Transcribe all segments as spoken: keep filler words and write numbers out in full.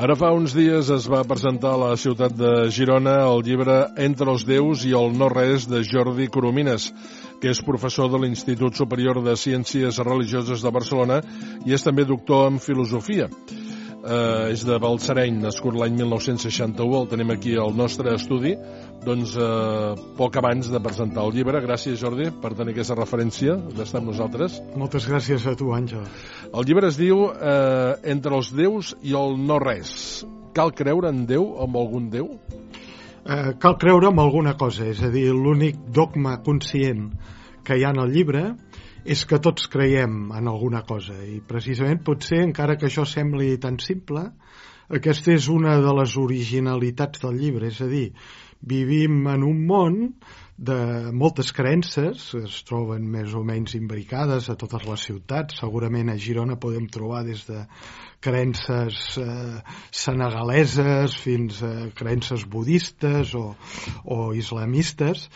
Ara fa uns dies es va presentar a la ciutat de Girona el llibre Entre els déus i el no-res de Jordi Coromines, que és professor de l'Institut Superior de Ciències Religioses de Barcelona i és també doctor en filosofia. Eh, és de Balsareny, nascut l'any mil nou-cents seixanta-u, el tenim aquí al nostre estudi, doncs eh, poc abans de presentar el llibre. Gràcies, Jordi, per tenir aquesta referència d'estar amb nosaltres. Moltes gràcies a tu, Àngel. El llibre es diu eh, Entre els déus i el no-res. Cal creure en Déu o en algun Déu? Eh, cal creure en alguna cosa, és a dir, l'únic dogma conscient que hi ha en el llibre és que tots creiem en alguna cosa, i precisament potser, encara que això sembli tan simple, aquesta és una de les originalitats del llibre, és a dir, vivim en un món de moltes creences, es troben més o menys imbricades a totes les ciutats. Segurament a Girona podem trobar des de creences eh, senegaleses fins a creences budistes o, o islamistes.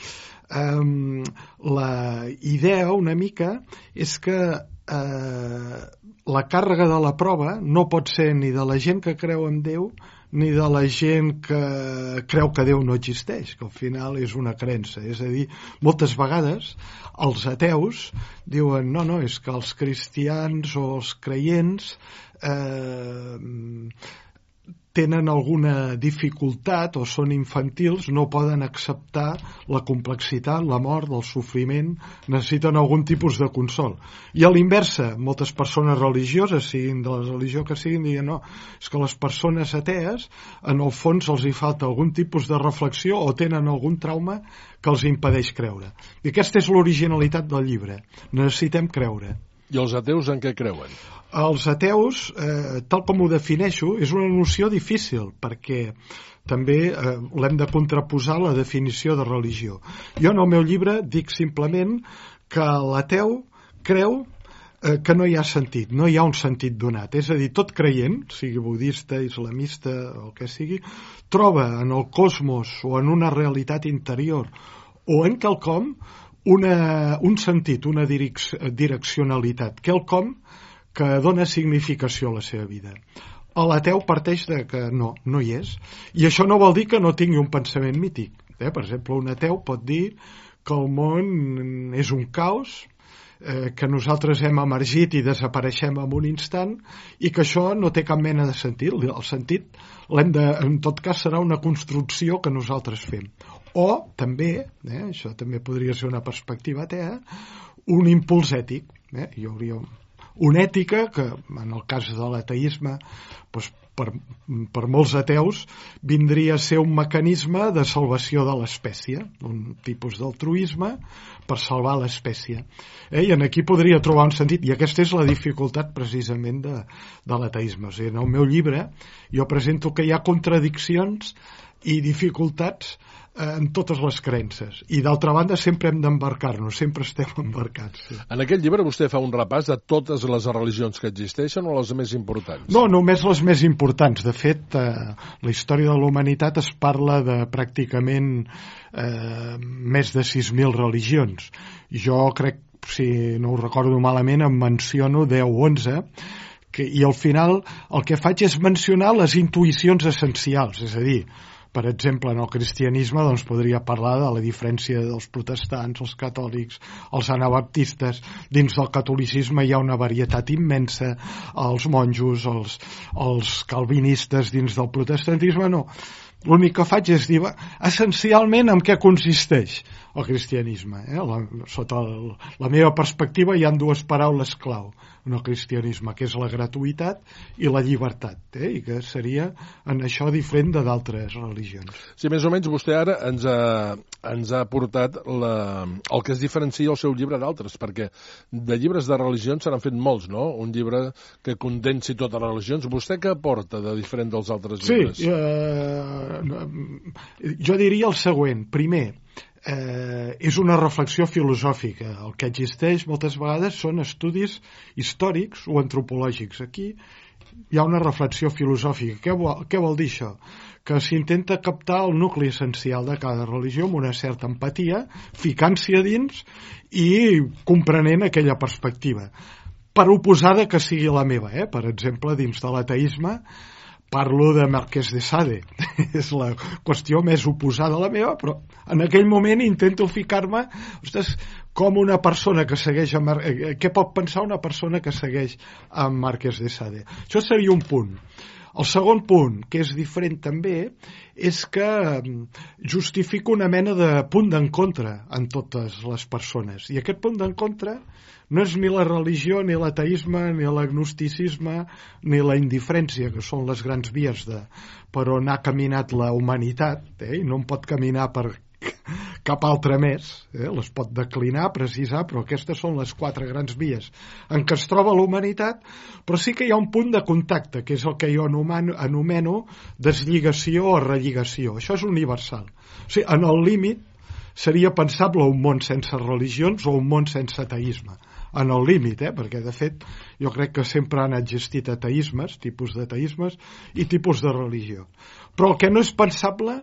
Um, la idea una mica és que uh, la càrrega de la prova no pot ser ni de la gent que creu en Déu ni de la gent que creu que Déu no existeix, que al final és una creença. És a dir, moltes vegades els ateus diuen no, no, és que els cristians o els creients eh, tenen alguna dificultat o són infantils, no poden acceptar la complexitat, la mort, el sofriment, necessiten algun tipus de consol. I a l'inversa, moltes persones religioses, siguin de la religió que siguin, diuen no, és que les persones atees, en el fons els hi falta algun tipus de reflexió o tenen algun trauma que els impedeix creure. I aquesta és l'originalitat del llibre. Necessitem creure. I els ateus en què creuen? Els ateus, eh, tal com ho defineixo, és una noció difícil, perquè també eh, l'hem de contraposar a la definició de religió. Jo en el meu llibre dic simplement que l'ateu creu eh, que no hi ha sentit, no hi ha un sentit donat. És a dir, tot creient, sigui budista, islamista o el que sigui, troba en el cosmos o en una realitat interior o en quelcom una, un sentit, una direc direccionalitat, quelcom que dona significació a la seva vida. L'ateu parteix de que no, no hi és. I això no vol dir que no tingui un pensament mític. Eh? Per exemple, un ateu pot dir que el món és un caos, eh, que nosaltres hem emergit i desapareixem en un instant i que això no té cap mena de sentit. El sentit, l'hem de, en tot cas, serà una construcció que nosaltres fem. O també, eh, això també podria ser una perspectiva atea, un impuls ètic. Eh? Hi hauria una ètica que, en el cas de l'ateisme, doncs per, per molts ateus, vindria a ser un mecanisme de salvació de l'espècie, un tipus d'altruisme per salvar l'espècie. Eh? I en aquí podria trobar un sentit, i aquesta és la dificultat precisament de, de l'ateisme. O sigui, en el meu llibre jo presento que hi ha contradiccions i dificultats en totes les creences. I d'altra banda sempre hem d'embarcar-nos, sempre estem embarcats. Sí. En aquest llibre vostè fa un repàs de totes les religions que existeixen o les més importants? No, només les més importants. De fet, eh, la història de la humanitat es parla de pràcticament eh, més de sis mil religions. Jo crec, si no ho recordo malament, em menciono deu o onze, que, i al final el que faig és mencionar les intuïcions essencials, és a dir, per exemple, en el cristianisme doncs, podria parlar de la diferència dels protestants, els catòlics, els anabaptistes. Dins del catolicisme hi ha una varietat immensa, els monjos, els, els calvinistes. Dins del protestantisme no. L'únic que faig és dir, va, essencialment en què consisteix el cristianisme. Eh? La, sota el, la meva perspectiva hi ha dues paraules clau en el cristianisme, que és la gratuïtat i la llibertat, eh? I que seria en això diferent de d'altres religions. Sí, més o menys vostè ara ens ha, ens ha portat la, el que es diferencia el seu llibre d'altres, perquè de llibres de religions se n'han fet molts, no? Un llibre que condensi totes les religions. Vostè què aporta de diferent dels altres llibres? Sí, eh, jo diria el següent. Primer, Eh, és una reflexió filosòfica. El que existeix moltes vegades són estudis històrics o antropològics. Aquí hi ha una reflexió filosòfica. Què vol, què vol dir això? Que s'intenta captar el nucli essencial de cada religió amb una certa empatia, ficant-s'hi a dins i comprenent aquella perspectiva. Per oposada que sigui la meva, eh? Per exemple, dins de l'ateisme parlo de Marquès de Sade. És la qüestió més oposada a la meva, però en aquell moment intento ficar-me, ostres, com una persona que segueix a Mar... què pot pensar una persona que segueix a Marquès de Sade. Això seria un punt. El segon punt, que és diferent també, és que justifica una mena de punt d'encontre en totes les persones. I aquest punt d'encontre no és ni la religió, ni l'ateisme, ni l'agnosticisme, ni la indiferència, que són les grans vies de, per on ha caminat la humanitat, eh? I no en pot caminar per cap altre més, eh? Les pot declinar, precisar, però aquestes són les quatre grans vies en què es troba la humanitat, però sí que hi ha un punt de contacte, que és el que jo anomeno, anomeno deslligació o relligació. Això és universal. O sigui, en el límit seria pensable un món sense religions o un món sense ateisme. En el límit, eh? Perquè de fet jo crec que sempre han existit ateismes, tipus d'ateismes i tipus de religió. Però el que no és pensable,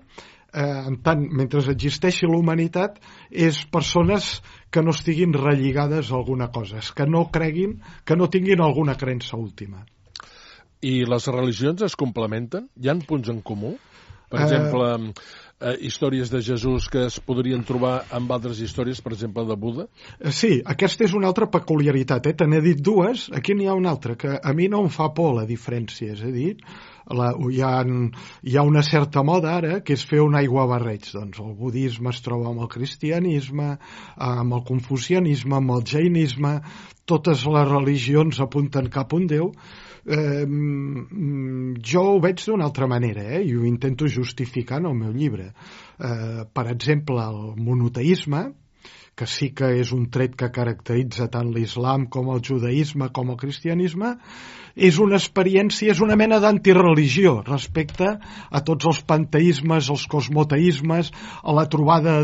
eh, en tant, mentre existeixi la humanitat, és persones que no estiguin relligades a alguna cosa, que no creguin, que no tinguin alguna creença última. I les religions es complementen? Hi ha punts en comú? Per exemple, eh, històries de Jesús que es podrien trobar amb altres històries, per exemple, de Buda? Sí, aquesta és una altra peculiaritat. Eh? Te n'he dit dues, aquí n'hi ha una altra, que a mi no em fa por la diferència. És a dir, la, hi, ha, hi ha una certa moda ara que és fer un aiguabarreig. Doncs el budisme es troba amb el cristianisme, amb el confucianisme, amb el jainisme, totes les religions apunten cap a un Déu. Eh, jo ho veig d'una altra manera, eh? I ho intento justificar en el meu llibre. Eh, per exemple, el monoteisme, que sí que és un tret que caracteritza tant l'islam com el judaïsme com el cristianisme, és una experiència, és una mena d'antireligió respecte a tots els panteismes, els cosmoteismes, a la trobada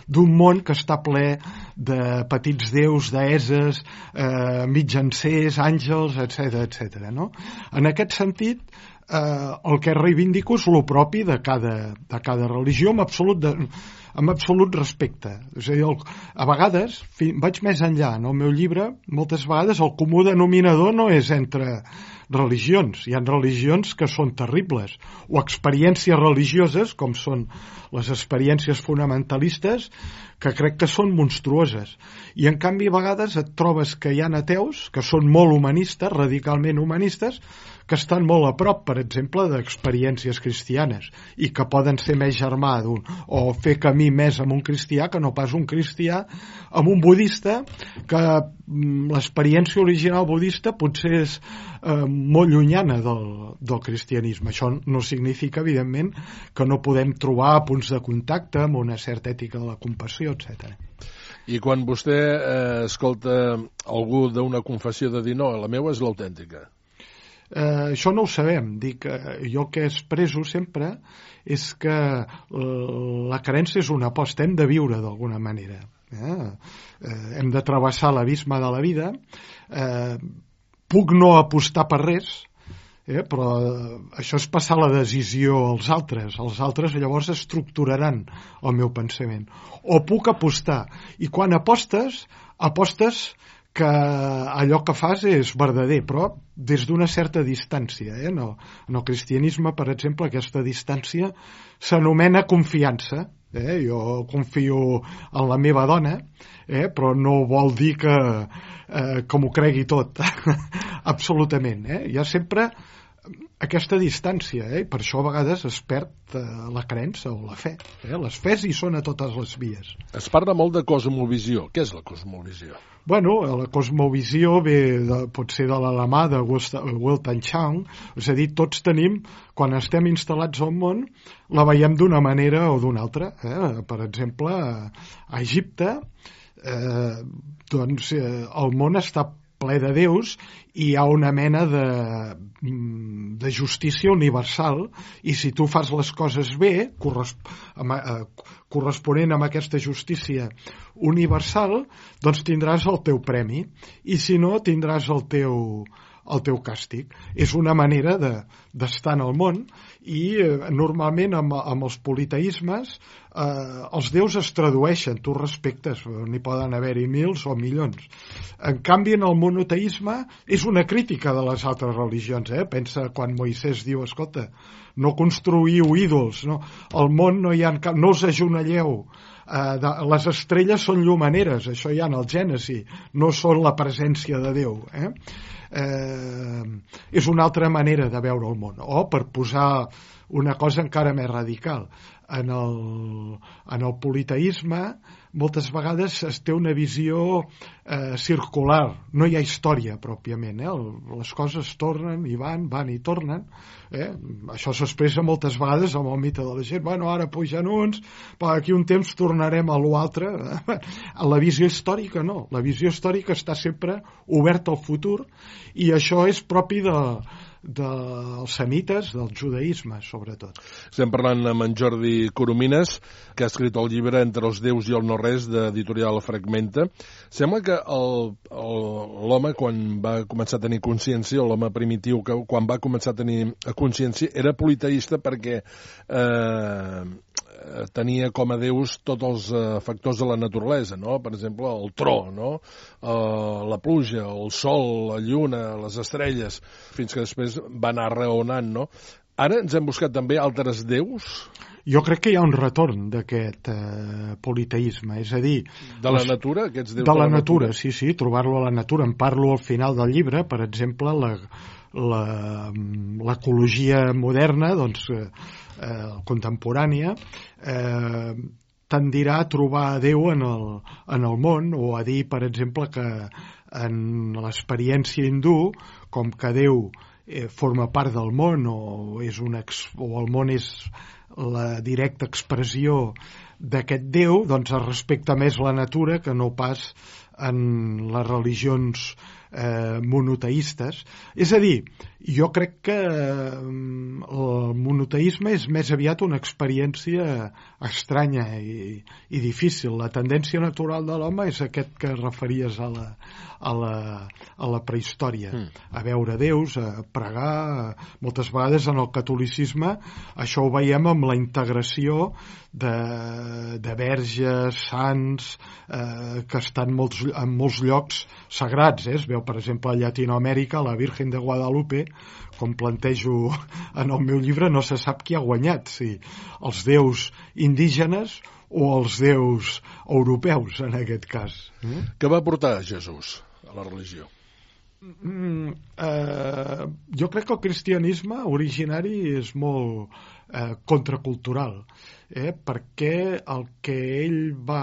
d'un món que està ple de petits déus, deeses, eh, mitjancers, àngels, etcètera, etcètera, no? En aquest sentit, eh, el que reivindico és el propi de cada, de cada religió amb absolut de, amb absolut respecte. És a dir, el, a vegades, fi, vaig més enllà, en el meu llibre, moltes vegades el comú denominador no és entre religions. Hi ha religions que són terribles, o experiències religioses, com són les experiències fonamentalistes, que crec que són monstruoses. I en canvi a vegades et trobes que hi ha ateus que són molt humanistes, radicalment humanistes, que estan molt a prop, per exemple, d'experiències cristianes i que poden ser més germà d'un, o fer camí més amb un cristià que no pas un cristià amb un budista, que l'experiència original budista potser és eh, molt llunyana del, del cristianisme. Això no significa, evidentment, que no podem trobar punts de contacte amb una certa ètica de la compassió, etcètera. I quan vostè eh, escolta algú d'una confessió de dir no, la meva és l'autèntica? Eh, això no ho sabem. Dic, eh, jo el que expreso sempre és que la creença és una aposta, hem de viure d'alguna manera. Eh? Eh, hem de travessar l'abisme de la vida. Eh, puc no apostar per res, eh? Però això és passar la decisió als altres. Els altres llavors estructuraran el meu pensament. O puc apostar. I quan apostes, apostes que allò que fas és verdader, però des d'una certa distància. Eh? En, el, en el cristianisme, per exemple, aquesta distància s'anomena confiança. Eh? Jo confio en la meva dona, eh? Però no vol dir que, eh, que m'ho cregui tot. Absolutament. Eh? Hi ha sempre aquesta distància, eh? Per això a vegades es perd eh, la creença o la fe. Eh? Les fes hi són a totes les vies. Es parla molt de cosmovisió. Què és la cosmovisió? Bueno, la cosmovisió ve de, pot ser de l'alemà de Weltanschauung, és a dir, tots tenim, quan estem instal·lats al món, la veiem d'una manera o d'una altra. Eh? Per exemple, a Egipte, eh, doncs, eh, el món està ple de déus i hi ha una mena de, de justícia universal, i si tu fas les coses bé, corresp amb, eh, corresponent amb aquesta justícia universal, doncs tindràs el teu premi, i si no, tindràs el teu, el teu càstig. És una manera de, d'estar en el món, i eh, normalment amb, amb els politeismes eh, els déus es tradueixen, tu respectes, n'hi poden haver-hi mils o milions. En canvi, en el monoteisme és una crítica de les altres religions, eh? Pensa quan Moisès diu, escolta, no construïu ídols, no? Al món no hi ha cap, no us ajonelleu, eh, de, les estrelles són llumaneres, això hi ha en el Gènesi, no són la presència de Déu, eh? Eh, és una altra manera de veure el món. O, per posar una cosa encara més radical, en el, en el politeisme moltes vegades es té una visió eh, circular, no hi ha història pròpiament, eh? Les coses tornen i van, van i tornen, eh? Això s'expressa moltes vegades amb el mite de la gent, bueno, ara pugen uns, però aquí un temps tornarem a l'altre. La visió històrica no, la visió històrica està sempre oberta al futur, i això és propi de dels semites, del judaïsme, sobretot. Estem parlant amb en Jordi Coromines, que ha escrit el llibre Entre els déus i el no-res, d'editorial Fragmenta. Sembla que l'home, quan va començar a tenir consciència, l'home primitiu, que quan va començar a tenir consciència, era politeista perquè eh, tenia com a déus tots els eh, factors de la naturalesa, no? Per exemple, el tro, no? Eh, la pluja, el sol, la lluna, les estrelles, fins que després va anar raonant, no? Ara ens hem buscat també altres déus? Jo crec que hi ha un retorn d'aquest eh, politeisme, és a dir... De la natura? Aquests déus de la, la natura, natura, sí, sí, trobar-lo a la natura. En parlo al final del llibre, per exemple, la, la, l'ecologia moderna, doncs, eh, eh, contemporània, eh, tendirà a trobar Déu en el, en el món, o a dir, per exemple, que en l'experiència hindú, com que Déu eh, forma part del món, o, és un ex, o el món és la directa expressió d'aquest Déu, doncs es respecta més la natura que no pas en les religions eh, monoteistes. És a dir, jo crec que eh, el monoteisme és més aviat una experiència estranya i, i difícil. La tendència natural de l'home és aquest que referies a la, a la, a la prehistòria, mm. a veure déus, a pregar. Moltes vegades en el catolicisme això ho veiem amb la integració de, de verges, sants, eh, que estan molts, en molts llocs sagrats, eh? Es veu, per exemple, a Llatinoamèrica, la Virgen de Guadalupe, com plantejo en el meu llibre, no se sap qui ha guanyat, si els déus indígenes o els déus europeus, en aquest cas. Mm? Què va portar Jesús a la religió? Mm, eh, jo crec que el cristianisme originari és molt eh, contracultural, eh, perquè el que ell va...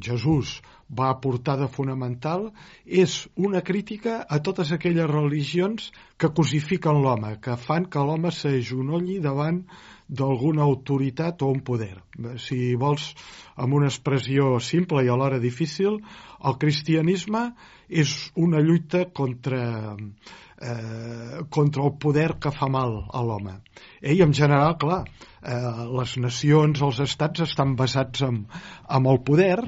Jesús va aportar de fonamental és una crítica a totes aquelles religions que cosifiquen l'home, que fan que l'home s'agenolli davant d'alguna autoritat o un poder. Si vols, amb una expressió simple i alhora difícil, el cristianisme és una lluita contra, eh, contra el poder que fa mal a l'home. Eh, I en general, clar, eh, les nacions, els estats estan basats en, en el poder,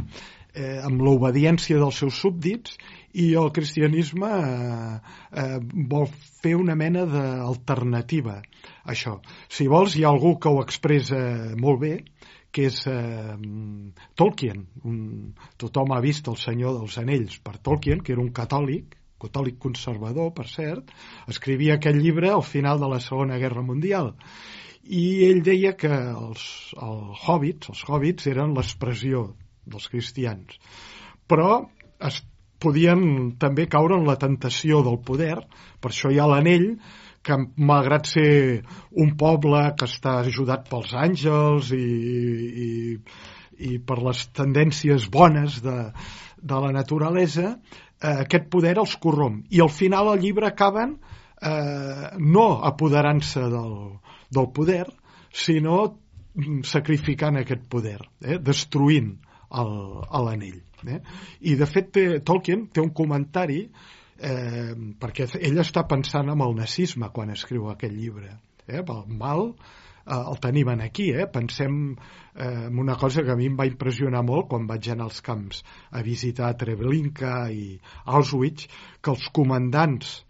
eh, amb l'obediència dels seus súbdits, i el cristianisme eh, eh, vol fer una mena d'alternativa a això. Si vols, hi ha algú que ho expressa molt bé, que és eh, Tolkien. Un, tothom ha vist El Senyor dels Anells per Tolkien, que era un catòlic, catòlic conservador, per cert, escrivia aquest llibre al final de la Segona Guerra Mundial. I ell deia que els, els hobbits, els hobbits eren l'expressió dels cristians. Però es podien també caure en la tentació del poder, per això hi ha l'anell, que malgrat ser un poble que està ajudat pels àngels i, i, i per les tendències bones de, de la naturalesa, eh, aquest poder els corromp. I al final el llibre acaben eh, no apoderant-se del, del poder, sinó sacrificant aquest poder, eh, destruint l'anell. Eh? I de fet té, Tolkien té un comentari eh, perquè ell està pensant en el nazisme quan escriu aquest llibre. Eh? El mal eh, el tenim aquí. Eh? Pensem eh, en una cosa que a mi em va impressionar molt quan vaig anar als camps a visitar Treblinka i Auschwitz, que els comandants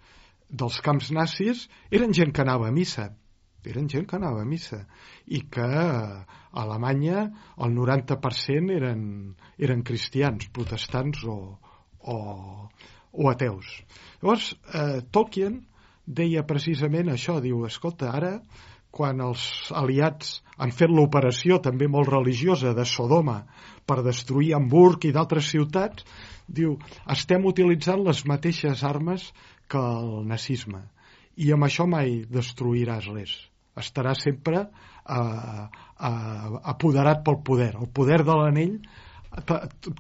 dels camps nazis eren gent que anava a missa. eren gent que anava a missa, i que a Alemanya el noranta per cent eren, eren cristians, protestants o, o, o ateus. Llavors, eh, Tolkien deia precisament això, diu, escolta, ara, quan els aliats han fet l'operació també molt religiosa de Sodoma per destruir Hamburg i d'altres ciutats, diu, estem utilitzant les mateixes armes que el nazisme, i amb això mai destruiràs res. Estarà sempre eh, eh, apoderat pel poder. El poder de l'anell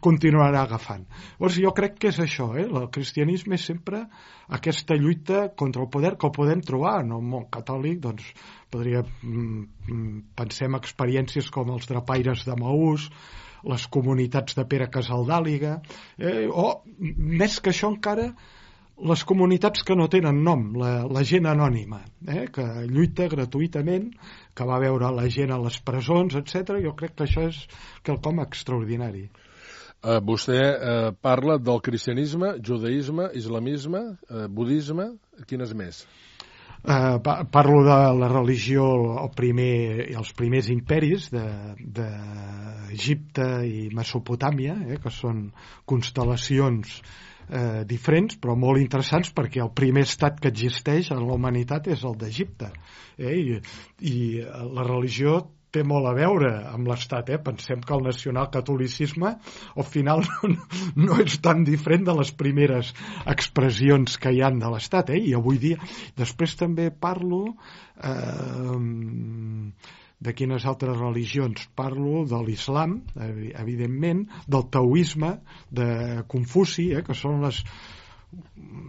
continuarà agafant. Llavors jo crec que és això, eh? El cristianisme és sempre aquesta lluita contra el poder que el podem trobar en el món catòlic. Doncs podria, pensem experiències com els drapaires de Maús, les comunitats de Pere Casaldàliga, eh? o més que això encara, les comunitats que no tenen nom, la, la gent anònima, eh? que lluita gratuïtament, que va veure la gent a les presons, etcètera. Jo crec que això és quelcom extraordinari. Uh, vostè uh, parla del cristianisme, judaïsme, islamisme, uh, budisme, quines més? Uh, parlo de la religió, el primer, els primers imperis d'Egipte de, de i Mesopotàmia, eh? que són constel·lacions Eh, diferents però molt interessants, perquè el primer estat que existeix en la humanitat és el d'Egipte, eh? I, i la religió té molt a veure amb l'estat, eh? Pensem que el nacionalcatolicisme al final no, no és tan diferent de les primeres expressions que hi han de l'estat, eh? I avui dia, després també parlo eh, de quines altres religions parlo, de l'islam, evidentment, del taoisme, de Confuci, eh, que són les,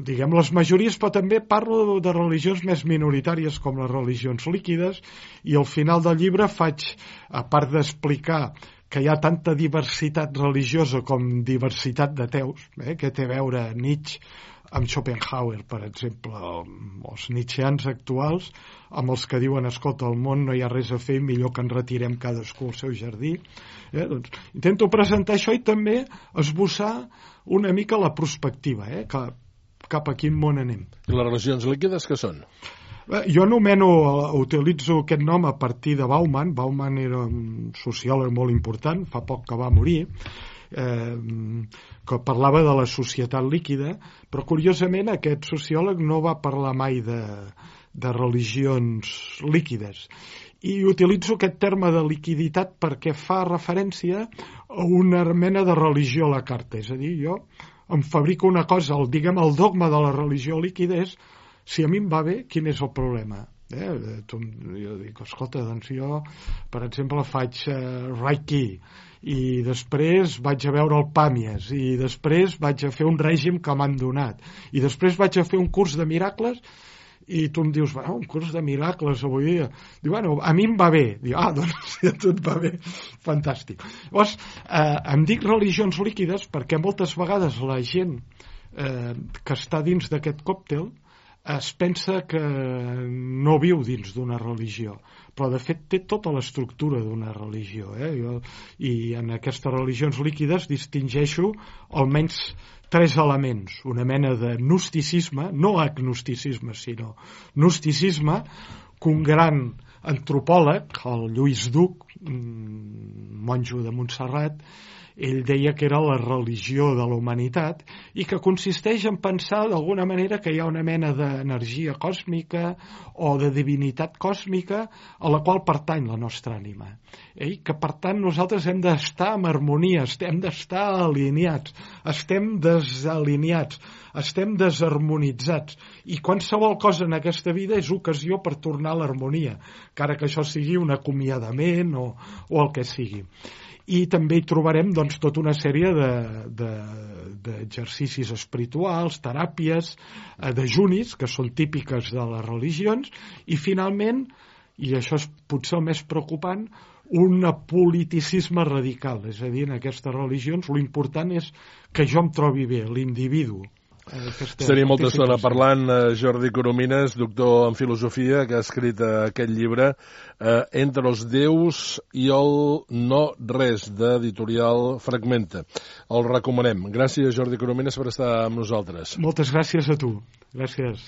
diguem, les majories, però també parlo de religions més minoritàries com les religions líquides, i al final del llibre faig, a part d'explicar que hi ha tanta diversitat religiosa com diversitat d'ateus, eh, que té a veure Nietzsche amb Schopenhauer, per exemple, els nietzscheans actuals, amb els que diuen, escolta, al món no hi ha res a fer, millor que ens retirem cadascú al seu jardí. Eh? Doncs, intento presentar això i també esbossar una mica la perspectiva, eh? que, cap a quin món anem. I les religions líquides què són? Jo anomeno, utilitzo aquest nom a partir de Bauman. Bauman era un sociòleg molt important, fa poc que va morir, eh, que parlava de la societat líquida, però curiosament aquest sociòleg no va parlar mai de, de religions líquides. I utilitzo aquest terme de liquiditat perquè fa referència a una mena de religió a la carta. És a dir, jo em fabrico una cosa, el, diguem, el dogma de la religió líquida és, si a mi em va bé, quin és el problema? Eh? Jo dic, escolta, doncs jo, per exemple, faig uh, Reiki, i després vaig a veure el Pàmies, i després vaig a fer un règim que m'han donat, i després vaig a fer un curs de miracles, i tu em dius, bueno, un curs de miracles avui dia. Diu, bueno, a mi em va bé. Diu, ah, doncs si a tu et va bé, fantàstic. Llavors, eh, em dic religions líquides perquè moltes vegades la gent eh, que està dins d'aquest còctel es pensa que no viu dins d'una religió, però de fet té tota l'estructura d'una religió, eh? Jo, i en aquestes religions líquides distingeixo almenys tres elements: una mena de gnosticisme, no agnosticisme, sinó gnosticisme, que un gran antropòleg, el Lluís Duc, monjo de Montserrat, ell deia que era la religió de la humanitat i que consisteix en pensar d'alguna manera que hi ha una mena d'energia còsmica o de divinitat còsmica a la qual pertany la nostra ànima. I que per tant nosaltres hem d'estar en harmonia, hem d'estar alineats, estem desalineats, estem desharmonitzats, i qualsevol cosa en aquesta vida és ocasió per tornar a l'harmonia, encara que això sigui un acomiadament o, o el que sigui. I també hi trobarem doncs, tota una sèrie d'exercicis de, de, espirituals, teràpies, eh, dejunis, que són típiques de les religions, i finalment, i això és potser el més preocupant, un apoliticisme radical. És a dir, en aquestes religions l'important és que jo em trobi bé, l'individu. Estaria molta estona parlant Jordi Coromines, doctor en filosofia, que ha escrit aquest llibre eh, Entre els déus i el no res, d'editorial Fragmenta. El recomanem. Gràcies, Jordi Coromines, per estar amb nosaltres. Moltes gràcies a tu. Gràcies.